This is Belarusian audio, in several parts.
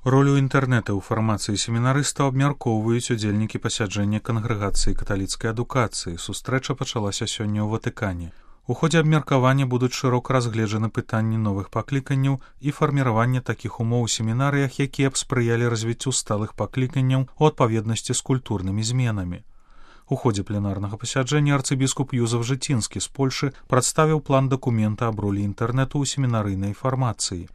Ролю інтэрнэта ў фармацыі семінарыстаў абмяркоўваюць удзельнікі пасяджэння кангрэгацыі каталіцкай адукацыі. Сустрэча пачалася сёння ў Ватыкане. У ходзе абмеркавання будуць шырока разгледжаны пытанні новых пакліканняў і фарміравання такіх умоў у семінарыях, якія б спрыялі развіццю сталых пакліканняў у адпаведнасці з культурнымі зменамі. У ходзе пленарнага пасяджэння арцыбіскуп Юзеф Жыцінскі з Польшы прадставіў план дакумента аб ролі інтэрнэту ў семінарыйнай фармацыі.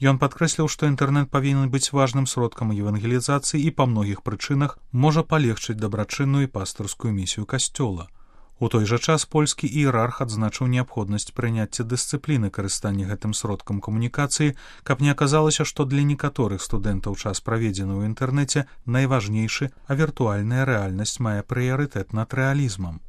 Ён падкрэсліў, што інтэрнэт павінен быць важным сродкам евангелізацыі і па многіх прычынах можа палегчыць дабрачынную і пастырскую місію касцёла. У той жа час польскі іерарх адзначыў неабходнасць прыняцця дысцыпліны карыстання гэтым сродкам камунікацыі, каб не аказалася, што для некаторых студэнтаў час праведзены ў інтэрнэце найважнейшы, а віртуальная рэальнасць мае прыярытэт над рэалізмам.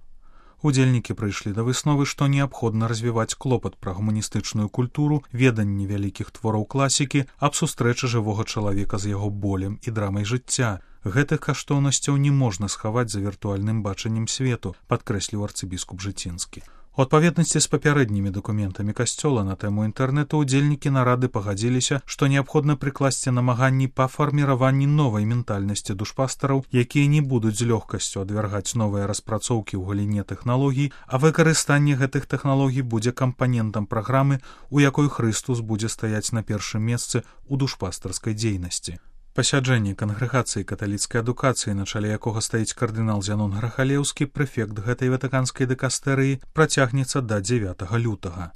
Удзельнікі прыйшлі да высновы, што неабходна развіваць клопат пра гуманістычную культуру, веданне вялікіх твораў класікі, аб сустрэчы жывога чалавека з яго болем і драмай жыцця. Гэтых каштоўнасцяў не можна схаваць за віртуальным бачаннем свету, падкрэсліў арцыбіскуп Жыцінскі. У адпаведнасці з папярэднімі дакументамі касцёла на тэму інтэрнэту удзельнікі нарады пагадзіліся, што неабходна прыкласці намаганні па фарміраванні новай ментальнасці душпастараў, якія не будуць з лёгкасцю адвяргаць новыя распрацоўкі ў галіне тэхналогій, а выкарыстанне гэтых тэхналогій будзе кампанентам праграмы, у якой Хрыстус будзе стаяць на першым месцы ў душпастарскай дзейнасці. Пасяджэнне кангрэгацыі каталіцкай адукацыі, на чале якога стаіць кардынал Зянон Грахалеўскі, прэфект гэтай ватыканскай дыкастэрыі, працягнецца да 9 лютага.